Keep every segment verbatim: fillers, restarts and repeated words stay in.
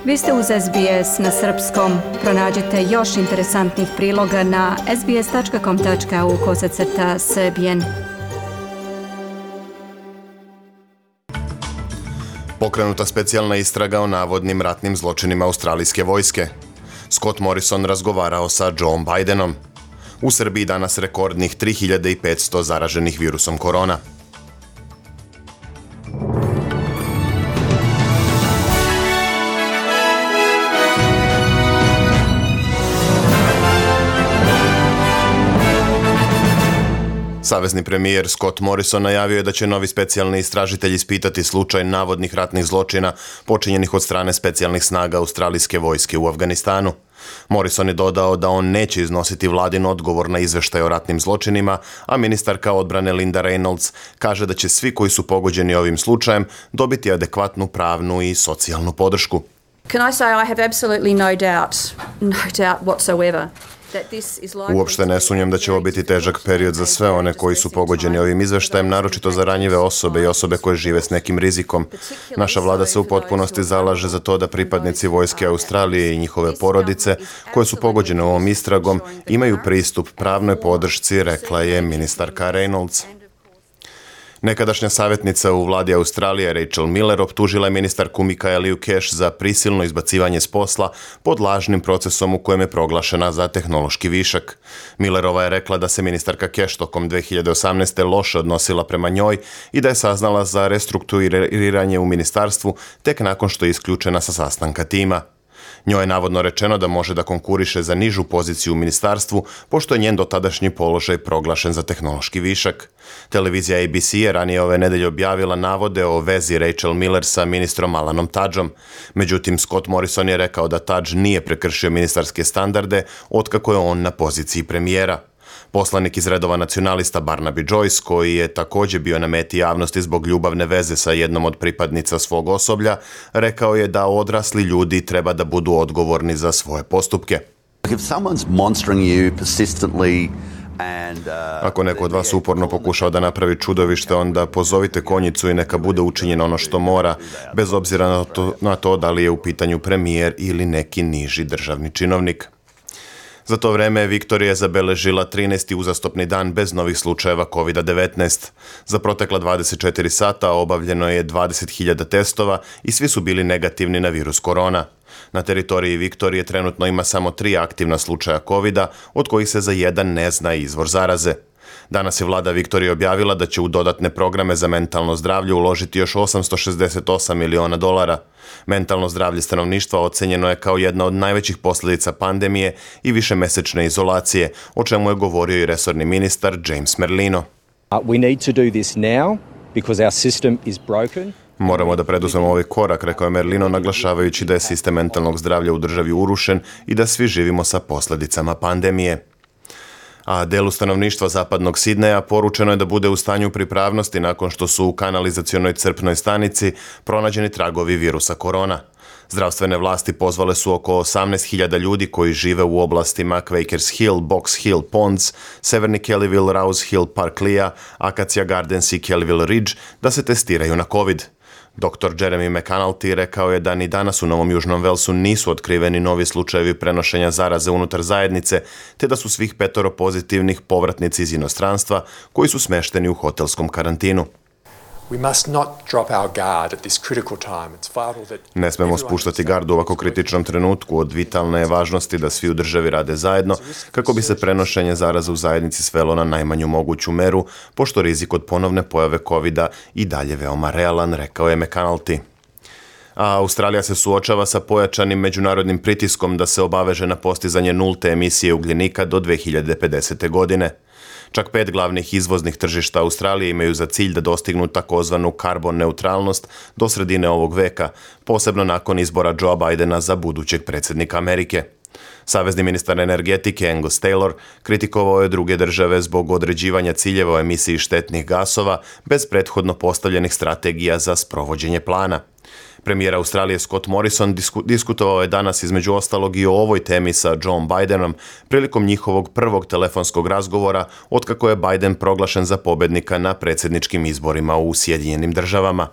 Vi ste uz S B S na srpskom. Pronađite još interesantnih priloga na sbs.com.au kosacrta srbijen. Pokrenuta specijalna istraga o navodnim ratnim zločinima australijske vojske. Scott Morrison razgovarao sa Joe Bidenom. U Srbiji danas rekordnih tri hiljade petsto zaraženih virusom korona. Savezni premijer Scott Morrison najavio je da će novi specijalni istražitelj ispitati slučaj navodnih ratnih zločina počinjenih od strane specijalnih snaga australijske vojske u Afganistanu. Morrison je dodao da on neće iznositi vladin odgovor na izveštaj o ratnim zločinima, a ministarka odbrane Linda Reynolds kaže da će svi koji su pogođeni ovim slučajem dobiti adekvatnu pravnu i socijalnu podršku. Can I say I have absolutely no doubt, no doubt whatsoever. Uopšte ne sumnjam da će ovo biti težak period za sve one koji su pogođeni ovim izveštajem, naročito za ranjive osobe i osobe koje žive s nekim rizikom. Naša vlada se u potpunosti zalaže za to da pripadnici vojske Australije i njihove porodice, koje su pogođene ovom istragom, imaju pristup pravnoj podršci, rekla je ministarka Reynolds. Nekadašnja savjetnica u vladi Australije Rachel Miller optužila je ministarku Michaelu Cash za prisilno izbacivanje s posla pod lažnim procesom u kojem je proglašena za tehnološki višak. Millerova je rekla da se ministarka Cash tokom dve hiljade osamnaeste. loše odnosila prema njoj i da je saznala za restrukturiranje u ministarstvu tek nakon što je isključena sa sastanka tima. Njoj je navodno rečeno da može da konkuriše za nižu poziciju u ministarstvu, pošto je njen dotadašnji položaj proglašen za tehnološki višak. Televizija A B C je ranije ove nedelje objavila navode o vezi Rachel Miller sa ministrom Alanom Tudgeom. Međutim, Scott Morrison je rekao da Tudge nije prekršio ministarske standarde otkako je on na poziciji premijera. Poslanik iz redova nacionalista Barnaby Joyce, koji je također bio na meti javnosti zbog ljubavne veze sa jednom od pripadnica svog osoblja, rekao je da odrasli ljudi treba da budu odgovorni za svoje postupke. Ako neko od vas uporno pokušao da napravi čudovište, onda pozovite konjicu i neka bude učinjeno ono što mora, bez obzira na to, na to da li je u pitanju premijer ili neki niži državni činovnik. Za to vreme Viktorija je zabeležila trinaesti uzastopni dan bez novih slučajeva kovid devetnaest. Za protekla dvadeset četiri sata obavljeno je dvadeset hiljada testova i svi su bili negativni na virus korona. Na teritoriji Viktorije trenutno ima samo tri aktivna slučaja kovida, od kojih se za jedan ne zna izvor zaraze. Danas je vlada Viktorije objavila da će u dodatne programe za mentalno zdravlje uložiti još osamsto šezdeset osam miliona dolara. Mentalno zdravlje stanovništva ocenjeno je kao jedna od najvećih posljedica pandemije i višemesečne izolacije, o čemu je govorio i resorni ministar James Merlino. We need to do this now because our system is broken. Moramo da preduzmemo ovaj korak, rekao je Merlino, naglašavajući da je sistem mentalnog zdravlja u državi urušen i da svi živimo sa posljedicama pandemije. A delu stanovništva zapadnog Sidneja poručeno je da bude u stanju pripravnosti nakon što su u kanalizacionoj crpnoj stanici pronađeni tragovi virusa korona. Zdravstvene vlasti pozvale su oko osamnaest hiljada ljudi koji žive u oblastima Quakers Hill, Box Hill, Ponds, Severni Kellyville, Rouse Hill, Parklea, Acacia Gardens i Kellyville Ridge da se testiraju na COVID. doktor Jeremy McAnulty rekao je da ni danas u Novom Južnom Velsu nisu otkriveni novi slučajevi prenošenja zaraze unutar zajednice, te da su svih petoro pozitivnih povratnici iz inostranstva koji su smešteni u hotelskom karantinu. Ne smemo spuštati gardu u ovako kritičnom trenutku. Od vitalne je važnosti da svi u državi rade zajedno kako bi se prenošenje zaraze u zajednici svelo na najmanju moguću meru, pošto rizik od ponovne pojave kovida i dalje veoma realan, rekao je McAnulty. A Australija se suočava sa pojačanim međunarodnim pritiskom da se obaveže na postizanje nulte emisije ugljenika do dve hiljade pedesete. godine. Čak pet glavnih izvoznih tržišta Australije imaju za cilj da dostignu takozvanu karbon neutralnost do sredine ovog veka, posebno nakon izbora Joea Bidena za budućeg predsjednika Amerike. Savezni ministar energetike Angus Taylor kritikovao je druge države zbog određivanja ciljeva o emisiji štetnih gasova bez prethodno postavljenih strategija za sprovođenje plana. Premijer Australije Scott Morrison disku, diskutovao je danas između ostalog i o ovoj temi sa Joe Bidenom prilikom njihovog prvog telefonskog razgovora otkako je Biden proglašen za pobednika na predsjedničkim izborima u Sjedinjenim državama.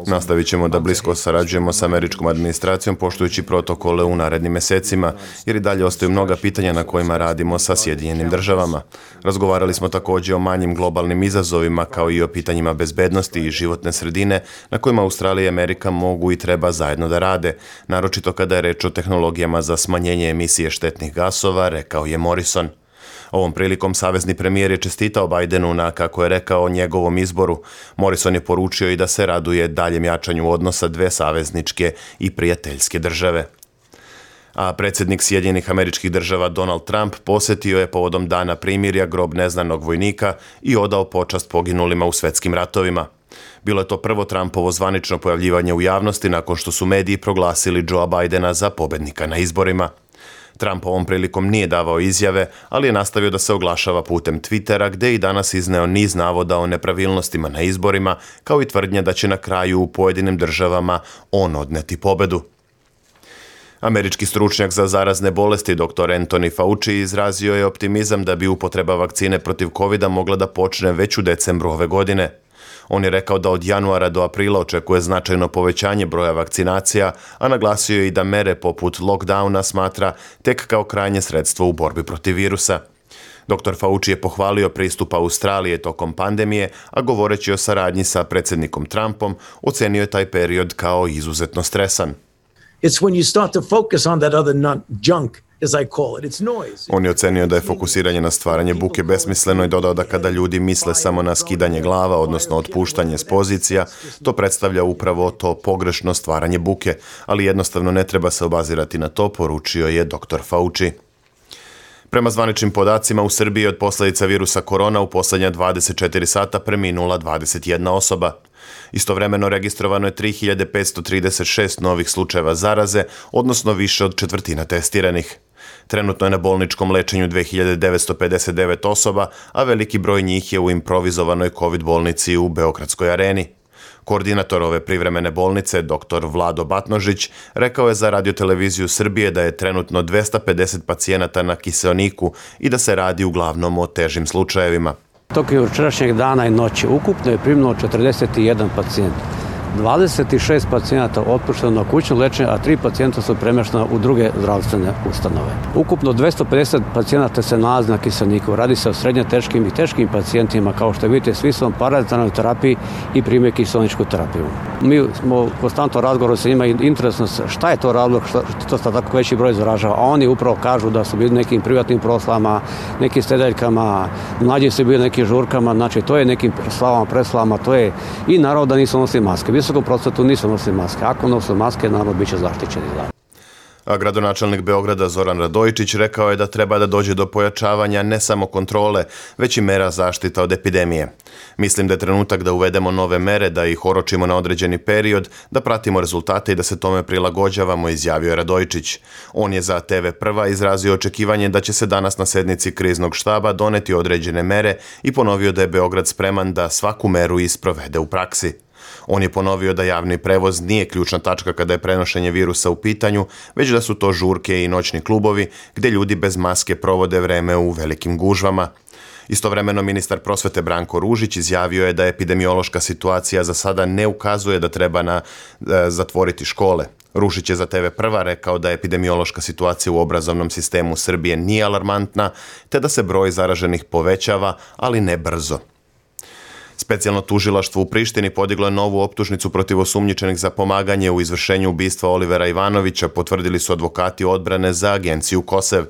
Nastavit ćemo da blisko sarađujemo sa američkom administracijom poštujući protokole u narednim mesecima, jer i dalje ostaju mnoga pitanja na kojima radimo sa Sjedinjenim državama. Razgovarali smo također o manjim globalnim izazovima kao i o pitanjima bezbednosti i životne sredine na kojima Australija i Amerika mogu i treba zajedno da rade, naročito kada je reč o tehnologijama za smanjenje emisije štetnih gasova, rekao je Morrison. Ovom prilikom savezni premijer je čestitao Bidenu na, kako je rekao, njegovom izboru. Morrison je poručio i da se raduje daljem jačanju odnosa dve savezničke i prijateljske države. A predsjednik Sjedinjenih Američkih Država Donald Trump posjetio je povodom Dana primirja grob neznanog vojnika i odao počast poginulima u svetskim ratovima. Bilo je to prvo Trumpovo zvanično pojavljivanje u javnosti nakon što su mediji proglasili Joea Bidena za pobednika na izborima. Trump ovom prilikom nije davao izjave, ali je nastavio da se oglašava putem Twittera, gde je i danas izneo niz navoda o nepravilnostima na izborima, kao i tvrdnje da će na kraju u pojedinim državama on odneti pobedu. Američki stručnjak za zarazne bolesti doktor Anthony Fauci izrazio je optimizam da bi upotreba vakcine protiv kovida mogla da počne već u decembru ove godine. On je rekao da od januara do aprila očekuje značajno povećanje broja vakcinacija, a naglasio je i da mere poput lockdowna smatra tek kao krajnje sredstvo u borbi protiv virusa. doktor Fauci je pohvalio pristup Australije tokom pandemije, a govoreći o saradnji sa predsjednikom Trumpom, ocenio je taj period kao izuzetno stresan. It's when you start to focus on that other non- junk, as I call it. It's noise. On je ocenio da je fokusiranje na stvaranje buke besmisleno i dodao da kada ljudi misle samo na skidanje glava, odnosno otpuštanje s pozicija, to predstavlja upravo to pogrešno stvaranje buke, ali jednostavno ne treba se obazirati na to, poručio je doktor Fauci. Prema zvaničnim podacima, u Srbiji od posljedica virusa korona u posljednja dvadeset četiri sata preminula dvadeset jedna osoba. Istovremeno registrovano je tri hiljade petsto trideset šest novih slučajeva zaraze, odnosno više od četvrtina testiranih. Trenutno je na bolničkom lečenju dve hiljade devetsto pedeset devet osoba, a veliki broj njih je u improvizovanoj COVID bolnici u Beogradskoj areni. Koordinator ove privremene bolnice, doktor Vlado Batnožić, rekao je za radioteleviziju Srbije da je trenutno dvesta pedeset pacijenata na kiseoniku i da se radi uglavnom o težim slučajevima. Tokom jučerašnjeg dana i noći ukupno je primljeno četrdeset jedan pacijent. dvadeset šest pacijenata otpušteno na kućno lečenje, a tri pacijenta su premještena u druge zdravstvene ustanove. Ukupno dvesta pedeset pacijenata se nalazi na kiseoniku. Radi se o srednje teškim i teškim pacijentima, kao što vidite, svi su paradentalnoj terapiji i prime kiseoničku terapiju. Mi smo konstantno razgovoru sa njima i interesno šta je to razlog, što to sta tako veći broj zaražava, a oni upravo kažu da su bili nekim privatnim proslavama, nekim stedeljkama, mlađi su bili nekim žurkama, znači to je nekim slavama, preslavama, to je i naravno da nisu nosili maske. Visokom procentu nisu nosili maske. Ako nose maske, naravno bit će zaštićeni. A gradonačelnik Beograda Zoran Radojičić rekao je da treba da dođe do pojačavanja ne samo kontrole, već i mera zaštita od epidemije. Mislim da je trenutak da uvedemo nove mere, da ih oročimo na određeni period, da pratimo rezultate i da se tome prilagođavamo, izjavio je Radojičić. On je za te ve Prva izrazio očekivanje da će se danas na sednici kriznog štaba doneti određene mere i ponovio da je Beograd spreman da svaku meru isprovede u praksi. On je ponovio da javni prevoz nije ključna tačka kada je prenošenje virusa u pitanju, već da su to žurke i noćni klubovi gdje ljudi bez maske provode vreme u velikim gužvama. Istovremeno ministar prosvete Branko Ružić izjavio je da epidemiološka situacija za sada ne ukazuje da treba na, e, zatvoriti škole. Ružić je za te ve Prva rekao da epidemiološka situacija u obrazovnom sistemu Srbije nije alarmantna, te da se broj zaraženih povećava, ali ne brzo. Specijalno tužilaštvo u Prištini podiglo je novu optužnicu protiv osumnjičenih za pomaganje u izvršenju ubistva Olivera Ivanovića, potvrdili su advokati odbrane za agenciju Kosev.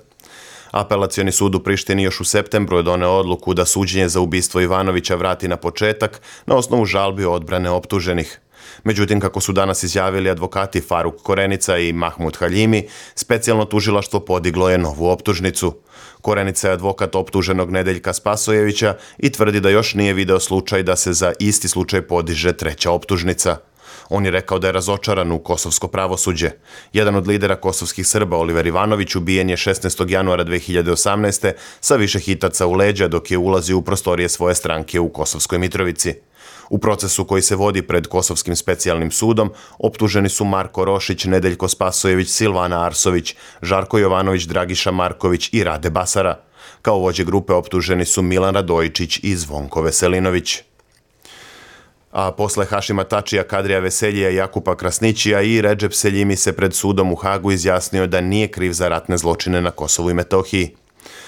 Apelacioni sud u Prištini još u septembru je doneo odluku da suđenje za ubistvo Ivanovića vrati na početak na osnovu žalbi odbrane optuženih. Međutim, kako su danas izjavili advokati Faruk Korenica i Mahmud Haljimi, specijalno tužilaštvo podiglo je novu optužnicu. Korenica je advokat optuženog Nedeljka Spasojevića i tvrdi da još nije video slučaj da se za isti slučaj podiže treća optužnica. On je rekao da je razočaran u kosovsko pravosuđe. Jedan od lidera kosovskih Srba, Oliver Ivanović, ubijen je šesnaestog januara dve hiljade osamnaeste. sa više hitaca u leđa dok je ulazio u prostorije svoje stranke u Kosovskoj Mitrovici. U procesu koji se vodi pred Kosovskim specijalnim sudom optuženi su Marko Rošić, Nedeljko Spasojević, Silvana Arsović, Žarko Jovanović, Dragiša Marković i Rade Basara. Kao vođe grupe optuženi su Milan Radojičić i Zvonko Veselinović. A posle Hašima Tačija, Kadrija Veseljija, Jakupa Krasnićija i Redžep Seljimi se pred sudom u Hagu izjasnio da nije kriv za ratne zločine na Kosovu i Metohiji.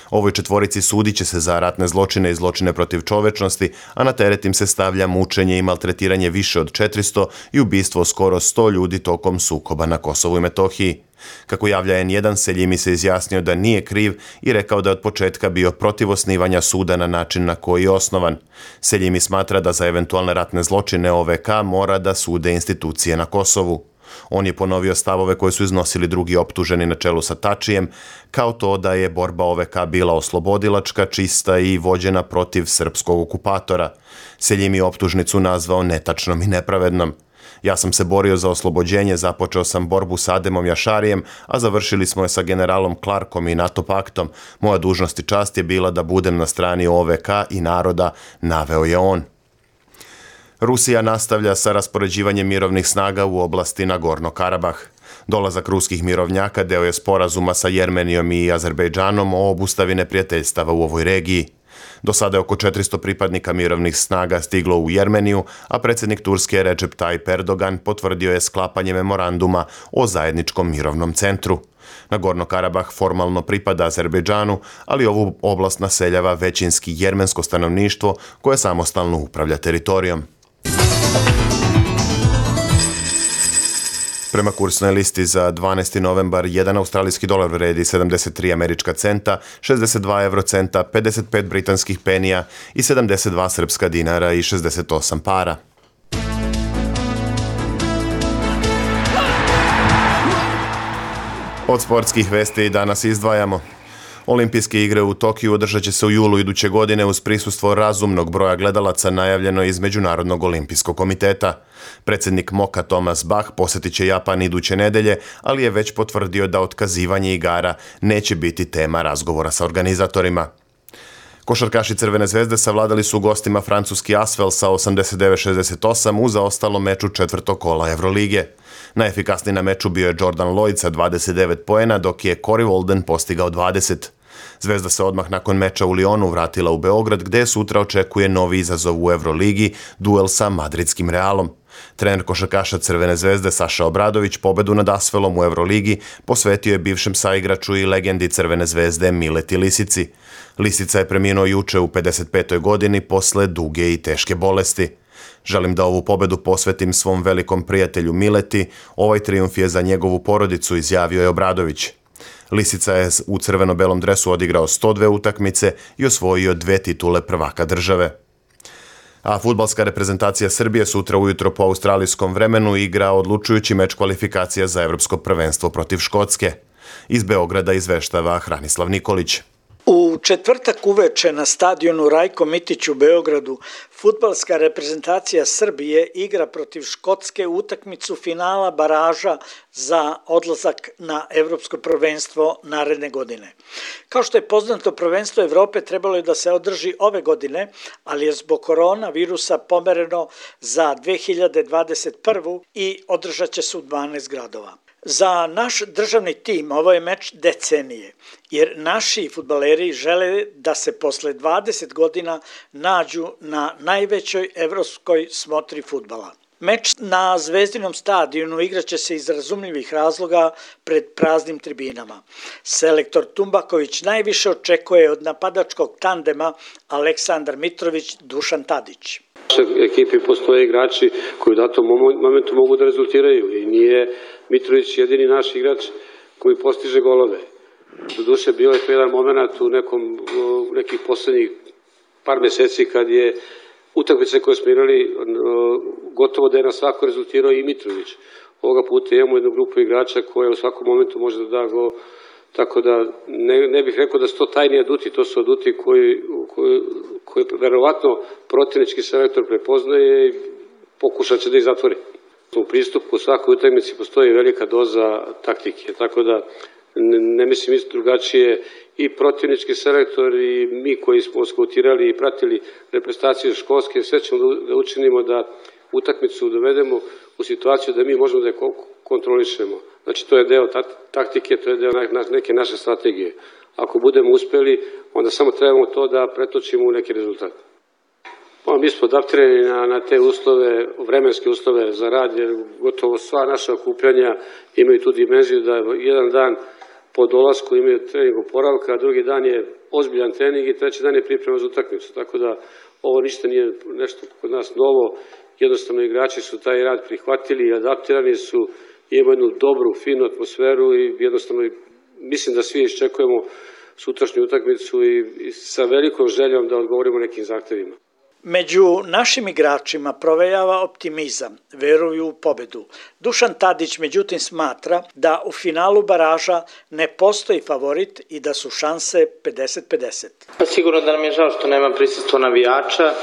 Ovoj četvorici sudit će se za ratne zločine i zločine protiv čovečnosti, a na teret im se stavlja mučenje i maltretiranje više od četiristo i ubistvo skoro sto ljudi tokom sukoba na Kosovu i Metohiji. Kako javlja en jedan, Seljimi se izjasnio da nije kriv i rekao da je od početka bio protiv osnivanja suda na način na koji je osnovan. Seljimi smatra da za eventualne ratne zločine O V K mora da sude institucije na Kosovu. On je ponovio stavove koje su iznosili drugi optuženi na čelu sa Tačijem, kao to da je borba O V K bila oslobodilačka, čista i vođena protiv srpskog okupatora. Seljimi optužnicu nazvao netačnom i nepravednom. Ja sam se borio za oslobođenje, započeo sam borbu sa Ademom Jašarijem, a završili smo je sa generalom Clarkom i NATO paktom. Moja dužnost i čast je bila da budem na strani O V K i naroda, naveo je on. Rusija nastavlja sa raspoređivanjem mirovnih snaga u oblasti Nagorno-Karabah. Dolazak ruskih mirovnjaka deo je sporazuma sa Jermenijom i Azerbejdžanom o obustavi neprijateljstava u ovoj regiji. Do sada je oko četiristo pripadnika mirovnih snaga stiglo u Jermeniju, a predsjednik Turske Recep Tayyip Erdogan potvrdio je sklapanje memoranduma o zajedničkom mirovnom centru. Nagorno-Karabah formalno pripada Azerbejdžanu, ali ovu oblast naseljava većinski jermensko stanovništvo koje samostalno upravlja teritorijom. Prema kursnoj listi za dvanaesti novembar, jedan australijski dolar vredi sedamdeset tri američka centa, šezdeset dva evrocenta, pedeset pet britanskih penija i sedamdeset dva srpska dinara i šezdeset osam para. Od sportskih vesti danas izdvajamo. Olimpijske igre u Tokiju održat će se u julu iduće godine uz prisustvo razumnog broja gledalaca, najavljeno iz Međunarodnog olimpijskog komiteta. Predsjednik Moka Thomas Bach posjetit će Japan iduće nedelje, ali je već potvrdio da otkazivanje igara neće biti tema razgovora sa organizatorima. Košarkaši Crvene zvezde savladali su gostima francuski Asvel sa osamdeset devet šezdeset osam u zaostalom meču četvrtog kola Evrolige. Najefikasniji na meču bio je Jordan Lloyd sa dvadeset devet poena, dok je Corey Walden postigao dvadeset. Zvezda se odmah nakon meča u Lionu vratila u Beograd, gde sutra očekuje novi izazov u Evroligi, duel sa madridskim Realom. Trener košarkaša Crvene zvezde Saša Obradović pobedu nad Asvelom u Evroligi posvetio je bivšem saigraču i legendi Crvene zvezde Mileti Lisici. Lisica je preminuo juče u pedeset petoj godini posle duge i teške bolesti. Želim da ovu pobedu posvetim svom velikom prijatelju Mileti, ovaj trijumf je za njegovu porodicu, izjavio je Obradović. Lisica je u crveno-belom dresu odigrao sto dve utakmice i osvojio dve titule prvaka države. A fudbalska reprezentacija Srbije sutra ujutro po australijskom vremenu igra odlučujući meč kvalifikacija za evropsko prvenstvo protiv Škotske. Iz Beograda izveštava Hranislav Nikolić. U četvrtak uveče na stadionu Rajko Mitić u Beogradu fudbalska reprezentacija Srbije igra protiv Škotske utakmicu finala baraža za odlazak na evropsko prvenstvo naredne godine. Kao što je poznato, prvenstvo Evrope trebalo je da se održi ove godine, ali je zbog koronavirusa pomereno za dve hiljade dvadeset prvu i održat će se u dvanaest gradova. Za naš državni tim ovo je meč decenije, jer naši fudbaleri žele da se posle dvadeset godina nađu na najvećoj evropskoj smotri fudbala. Meč na Zvezdinom stadionu igraće se iz razumljivih razloga pred praznim tribinama. Selektor Tumbaković najviše očekuje od napadačkog tandema Aleksandar Mitrović, Dušan Tadić. U našoj ekipi postoje igrači koji u datom momentu mogu da rezultiraju i nije Mitrović jedini naš igrač koji postiže golove. Doduše, bio je to jedan moment u nekom, nekih poslednjih par meseci kad je utakmice koje smo igrali gotovo da je na svako rezultirao i Mitrović. Ovoga puta imamo jednu grupu igrača koja u svakom momentu može da da gol, tako da ne, ne bih rekao da su to tajni aduti, to su aduti koji, koji, koji verovatno protivnički selektor prepoznaje i pokušat će da ih zatvori. U pristupu svakoj utakmici postoji velika doza taktike, tako da ne, ne mislim isto drugačije i protivnički selektor i mi koji smo skautirali i pratili reprezentaciju Škotske, sve ćemo da učinimo da utakmicu dovedemo u situaciju da mi možemo da je kontrolišemo. Znači to je deo taktike, to je deo neke naše strategije. Ako budemo uspeli, onda samo trebamo to da pretočimo u neki rezultat. Pa, mi smo adaptirani na, na te uslove, vremenske uslove za rad, jer gotovo sva naša okupljanja imaju tu dimenziju da jedan dan po dolasku imaju trening oporavka, a drugi dan je ozbiljan trening i treći dan je priprema za utakmicu. Tako da ovo ništa nije nešto kod nas novo, jednostavno igrači su taj rad prihvatili, adaptirani su, imaju jednu dobru, finu atmosferu i jednostavno mislim da svi iščekujemo sutrašnju utakmicu i, i sa velikom željom da odgovorimo nekim zahtevima. Među našim igračima provejava optimizam, veruju u pobedu. Dušan Tadić međutim smatra da u finalu baraža ne postoji favorit i da su šanse pedeset pedeset. Pa sigurno da nam je žao što nema prisustva navijača,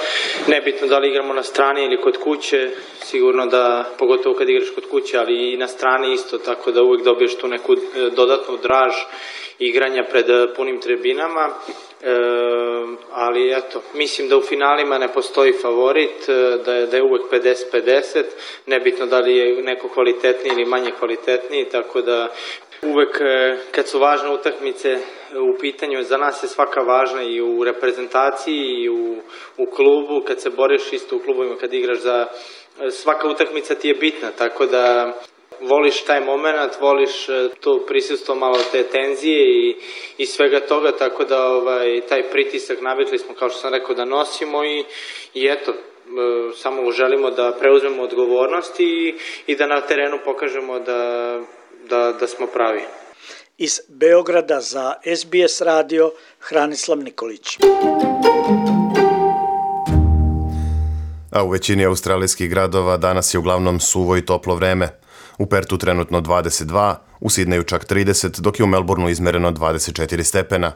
nebitno da li igramo na strani ili kod kuće, sigurno da, pogotovo kad igraš kod kuće, ali i na strani isto, tako da uvijek dobiješ tu neku dodatnu draž igranja pred punim tribinama. E, ali eto, mislim da u finalima ne postoji favorit, da je, da je uvek pedeset pedeset, nebitno da li je neko kvalitetniji ili manje kvalitetniji, tako da uvek kad su važne utakmice u pitanju, za nas je svaka važna i u reprezentaciji i u, u klubu, kad se boriš isto u klubovima, kad igraš za svaka utakmica ti je bitna, tako da voliš taj moment, voliš to prisustvo malo te tenzije i, i svega toga, tako da ovaj, taj pritisak navikli smo, kao što sam rekao, da nosimo i, i eto, samo želimo da preuzmemo odgovornost i, i da na terenu pokažemo da, da, da smo pravi. Iz Beograda za S B S radio, Hranislav Nikolić. A u većini australijskih gradova danas je uglavnom suvo i toplo vreme. U Pertu trenutno dvadeset dva, u Sidneju čak trideset, dok je u Melbourneu izmereno dvadeset četiri stepena.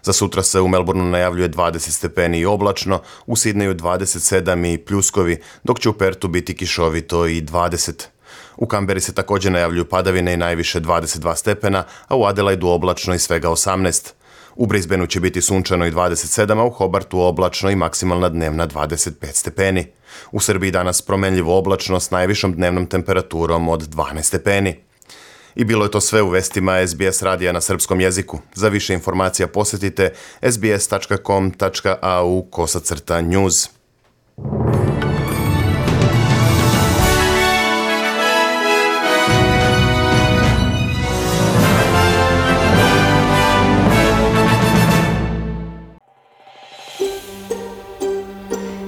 Za sutra se u Melbourneu najavljuje dvadeset stepeni i oblačno, u Sidneju dvadeset sedam i pljuskovi, dok će u Pertu biti kišovito i dvadeset. U Kamberi se također najavljuju padavine i najviše dvadeset dva stepena, a u Adelaidu oblačno i svega osamnaest. U Brisbaneu će biti sunčano i dvadeset sedam, a u Hobartu oblačno i maksimalna dnevna dvadeset pet stepeni. U Srbiji danas promenljivo oblačno s najvišom dnevnom temperaturom od dvanaest stepeni. I bilo je to sve u vestima S B S radija na srpskom jeziku. Za više informacija posjetite s b s tačka com tačka a u kosacrta news.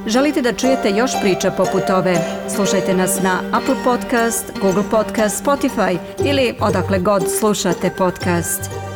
Želite da čujete još priča poput ove? Slušajte nas na Apple Podcast, Google Podcast, Spotify ili odakle god slušate podcast.